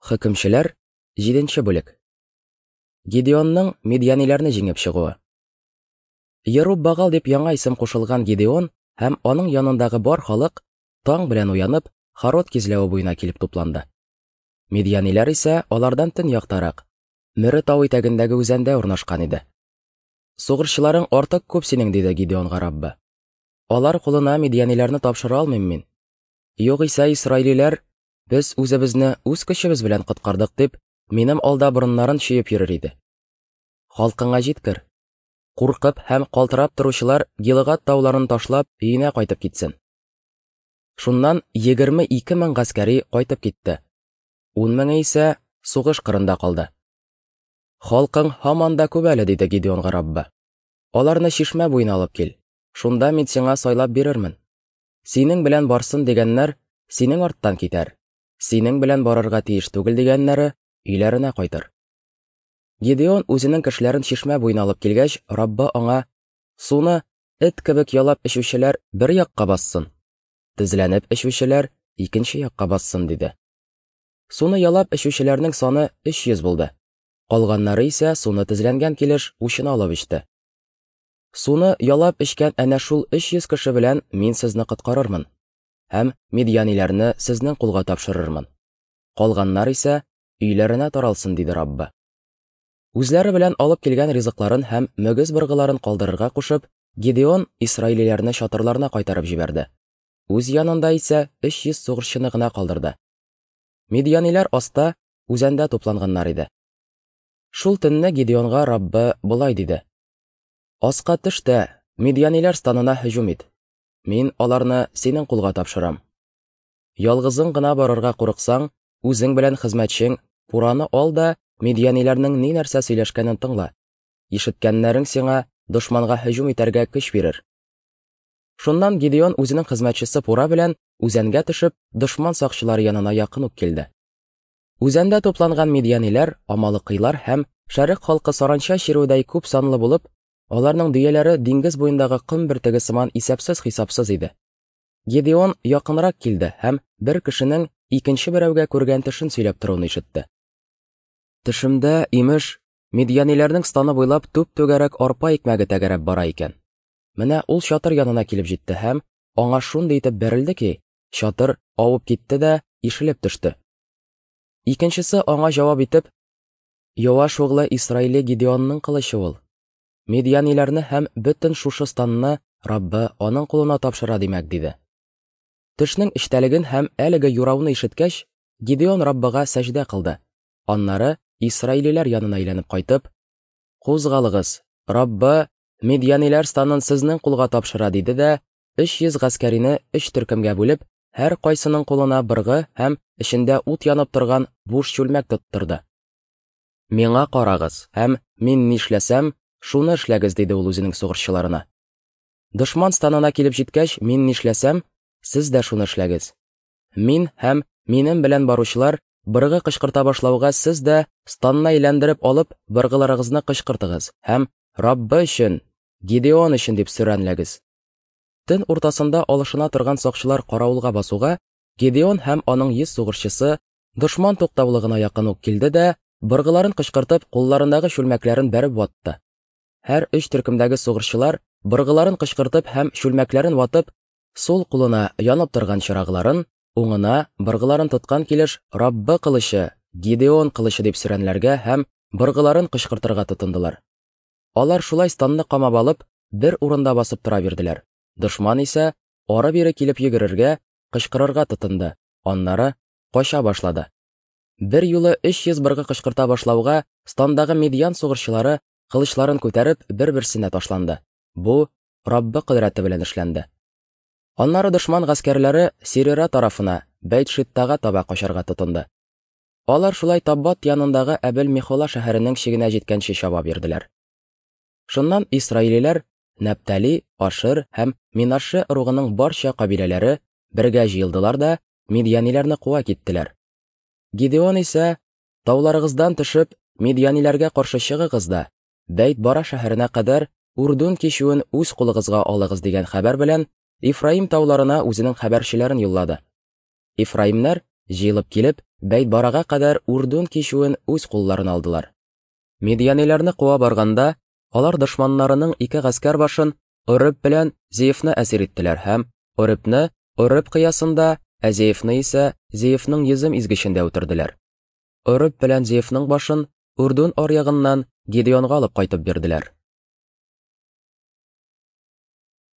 Хөкемчеләр, 7 бүлек. Гидеонның мидьяниләрне җиңеп чыгуы. Еруббагал дип яңа исем кушылган Гидеон һәм аның янындагы бар халык таң белән уянып, Харод кизләве буена килеп тупланды. Мидьяниләр исә алардан төньяктарак, Мөре тау итәгендәге үзәндә урнашкан иде. Сугышчыларың артык күп синең, диде Гидеонга Раббы. Алар кулына мидьяниләрне тапшыра алмыйм мин. Югыйсә исраилиләр, без үзебезне үз көчебез белән коткардык дип, минем алда борыннарын чөеп йөрер иде. Халкыңа җиткер. Куркып һәм калтырап торучылар Гилыгад тауларын ташлап, өенә кайтып китсен. Шуннан 22 мең гаскәри кайтып китте. 10 меңе исә сугыш кырында калды. Халкың һаман да күп әле, диде Гидеонга Раббы. Аларны чишмә буена алып кил. Шунда мин сиңа сайлап бирермен. Синең белән барсын дигәннәр синең арттан китәр. Синең белән барырга тиеш түгел дигәннәре өйләренә кайтыр. Гидеон үзенең кешеләрен чишмә буена алып килгәч, Раббы аңа: "Суны эт кебек ялап эчүчеләр бер якка бассын, тезләнеп эчүчеләр икенче якка бассын", диде. Суны ялап эчүчеләрнең саны 300 булды. Калганнары исә суны тезләнгән килеш учына алып эчте. Суны ялап эчкән әнә шул 300 кеше белән мин сезне коткарырмын һәм мидьяниләрне сезнең кулга тапшырырмын. Калганнар исә өйләренә таралсын, диде Раббы. Үзләре белән алып килгән ризыкларын һәм мөгез быргыларын калдырырга кушып, Гидеон исраилиләрне чатырларына кайтарып җибәрде. Үз янында исә 300 сугышчыны гына калдырды. Мидьяниләр аста, үзәндә тупланганнар иде. Шул төнне Гидеонга Раббы болай диде: Аска төш тә, мидьяниләр станына һөҗүм ит. Мин аларны синең кулга тапшырам. Ялгызың гына барырга курыксаң, үзең белән хезмәтчең Пураны ал да мидьяниләрнең ни нәрсә сөйләшкәнен тыңла. Ишеткәннәрең сиңа дошманга һөҗүм итәргә көч бирер. Шуннан Гидеон үзенең хезмәтчесе Пура белән үзәнгә төшеп, дошман сакчылары янына якын ук килде. Үзәндә тупланган мидьяниләр, амалыкыйлар һәм шәрык халкы саранча чирүедәй күп санлы булып, аларның дөяләре диңгез буендагы ком бөртеге сыман исәпсез-хисапсыз иде. Гедеон якынрак килде һәм бер кешенең икенче берәүгә күргән төшен сөйләп торуын ишетте. Төшемдә, имеш, мидьяниләрнең станы буйлап түп-түгәрәк арпа икмәге тәгәрәп бара икән. Менә ул чатыр янына килеп җитте һәм аңа шундый итеп бәрелде ки, чатыр авып китте дә ишелеп төште. Икенчесе аңа җавап итеп, Йоаш углы Исраиле Гидеонның кылычы ул. Мидьяниләрне һәм бөтен шушы станны Раббы аның кулына тапшыра димәк, диде. Төшнең эчтәлеген һәм әлеге юрауны ишеткәч, Гидеон Раббыга сәҗдә кылды. Аннары исраилиләр янына әйләнеп кайтып, Кузгалыгыз, Раббы Мидьяниләр станын сезнең кулга тапшыра, диде дә, 300 гаскәрине өч төркемгә бүлеп, һәркайсының кулына быргы һәм эчендә ут янып торган буш чүлмәк тоттырды. Миңа карагыз һәм мин нишләсәм, шуны эшләгез, диде ул үзенең сугышчыларына. Дошман станына килеп җиткәч, мин нишләсәм, сез дә шуны эшләгез. Мин һәм минем белән баручылар быргы кычкырта башлауга сез дә станны әйләндереп алып, быргыларыгызны кычкыртыгыз һәм Раббы өчен, Гидеон өчен дип сөрәнләгез. Төн уртасында алышына торган сакчылар каравылга басуга, Гедеон һәм аның 100 сугышчысы дошман туктаулыгына якын ук килде дә, быргыларын кычкыртып, кулларындагы чүлмәкләрен бәреп ватты. Һәр өч төркемдәге сугышчылар быргыларын кычкыртып һәм чүлмәкләрен ватып, сул кулына янып торган чырагларын, уңына быргыларын тоткан килеш Раббы кылычы, Гидеон кылычы дип сөрәнләргә һәм быргыларын кычкыртырга тотындылар. Алар шулай станны камап алып, бер урында басып тора бирделәр. Дошман исә ары-бире килеп йөгерергә, кычкырырга тотынды, аннары кача башлады. Бер юлы 300 быргы кычкырта башлауга, стандагы мидьян сугышчылары кылычларын күтәреп бер-берсенә ташланды. Бу Раббы кодрәте белән эшләнде. Аннары дошман гаскәрләре Сирера тарафына, Бәйт-Шиттага таба качарга тотынды. Алар шулай Таббат янындагы Әбел-Мехола шәһәренең чигенә җиткәнче чаба бирделәр. Шуннан исраилиләр, Нәптали, Ашер һәм Минаше ыругының барча кабиләләре бергә җыелдылар да мидьяниләрне куа киттеләр. Гидеон исә, тауларыгыздан төшеп, мидьяниләргә каршы чыгыгыз да, Бәйт-Бара шәһәренә кадәр Урдун кичүен үз кулыгызга алыгыз дигән хәбәр белән Ифраим тауларына үзенең хәбәрчеләрен юллады. Ифраимнәр, җыелып килеп, Бәйтбарага кадәр Үрдүн кичүен үз кулларына алдылар. Мидьяниләрне куа барганда, алар дошманнарының ике гаскәр башын Ореб белән Зеевны әсир иттеләр һәм Оребны Ореб кыясында, ә Зеевны исә Зеевның йөзем изгечендә үтерделәр. Ореб белән Зеевның башын Үрдүн аръягыннан Гидеонга алып кайтып бирделәр.